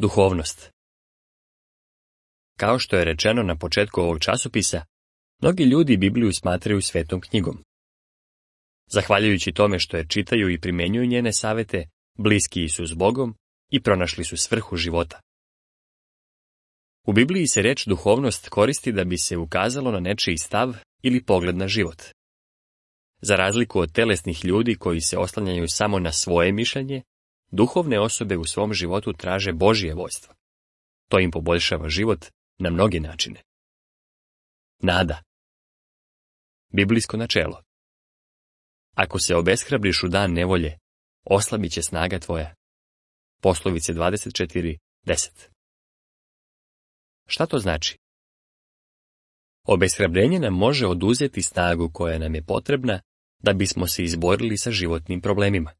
Duhovnost. Kao što je rečeno na početku ovog časopisa, mnogi ljudi Bibliju smatraju svetom knjigom. Zahvaljujući tome što je čitaju i primjenjuju njene savete, bliski su s Bogom i pronašli su svrhu života. U Bibliji se reč duhovnost koristi da bi se ukazalo na nečiji stav ili pogled na život. Za razliku od telesnih ljudi koji se oslanjaju samo na svoje mišljenje, duhovne osobe u svom životu traže Božje vojstvo. To im poboljšava život na mnoge načine. Nada. Biblijsko načelo. Ako se obeshrabriš u dan nevolje, oslabit će snaga tvoja. Poslovice 24:10. Šta to znači? Obeshrabrenje nam može oduzeti snagu koja nam je potrebna da bismo se izborili sa životnim problemima.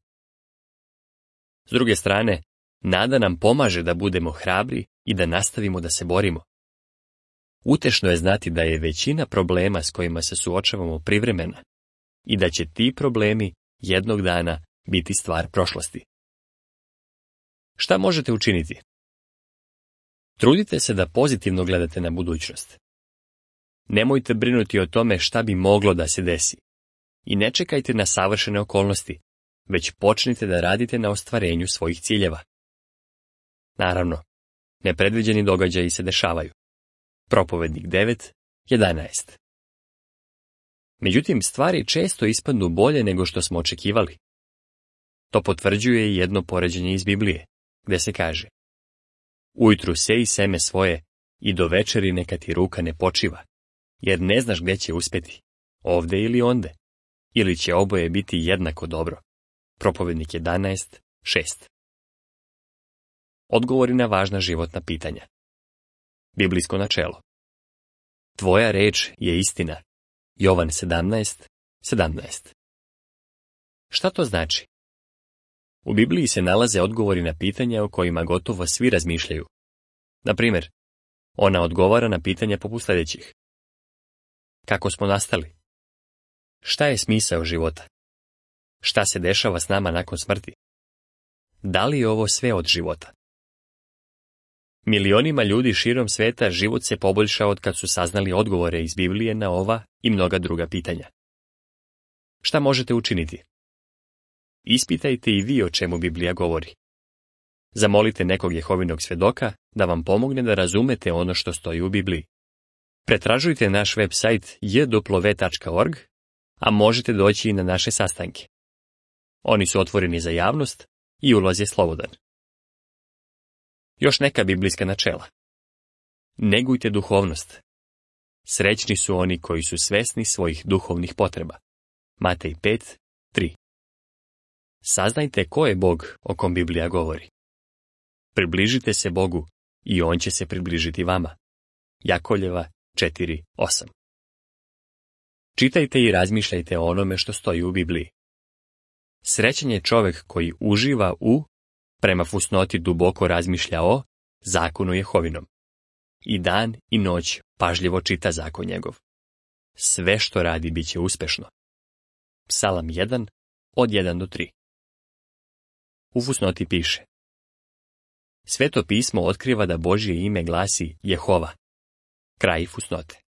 S druge strane, nada nam pomaže da budemo hrabri i da nastavimo da se borimo. Utešno je znati da je većina problema s kojima se suočavamo privremena i da će ti problemi jednog dana biti stvar prošlosti. Šta možete učiniti? Trudite se da pozitivno gledate na budućnost. Nemojte brinuti o tome šta bi moglo da se desi. I ne čekajte na savršene okolnosti, već počnite da radite na ostvarenju svojih ciljeva. Naravno, nepredviđeni događaji se dešavaju. Propovednik 9:11. Međutim, stvari često ispadnu bolje nego što smo očekivali. To potvrđuje i jedno poređenje iz Biblije, gde se kaže: Ujutru seji seme svoje i do večeri neka ti ruka ne počiva, jer ne znaš gde će uspeti, ovde ili onde, ili će oboje biti jednako dobro. Propovednik 11:6. Odgovori na važna životna pitanja. Biblijsko načelo. Tvoja reč je istina. Jovan 17:17. Šta to znači? U Bibliji se nalaze odgovori na pitanja o kojima gotovo svi razmišljaju. Na primjer, ona odgovara na pitanja poput sljedećih. Kako smo nastali? Šta je smisao života? Šta se dešava s nama nakon smrti? Da li je ovo sve od života? Milionima ljudi širom sveta život se poboljšao od kad su saznali odgovore iz Biblije na ova i mnoga druga pitanja. Šta možete učiniti? Ispitajte i vi o čemu Biblija govori. Zamolite nekog Jehovinog svedoka da vam pomogne da razumete ono što stoji u Bibliji. Pretražujte naš web sajt jw.org, a možete doći i na naše sastanke. Oni su otvoreni za javnost i ulaz je slobodan. Još neka biblijska načela. Negujte duhovnost. Srećni su oni koji su svesni svojih duhovnih potreba. Matej 5:3. Saznajte ko je Bog o kom Biblija govori. Približite se Bogu i On će se približiti vama. Jakoljeva 4:8. Čitajte i razmišljajte o onome što stoji u Bibliji. Srećan je čovjek koji uživa prema fusnoti duboko razmišlja o zakonu Jehovinom. I dan i noć pažljivo čita zakon njegov. Sve što radi bit će uspešno. Psalam 1:1-3. U fusnoti piše: Sveto pismo otkriva da Božje ime glasi Jehova. Kraj fusnote.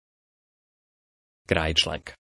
Kraj članka.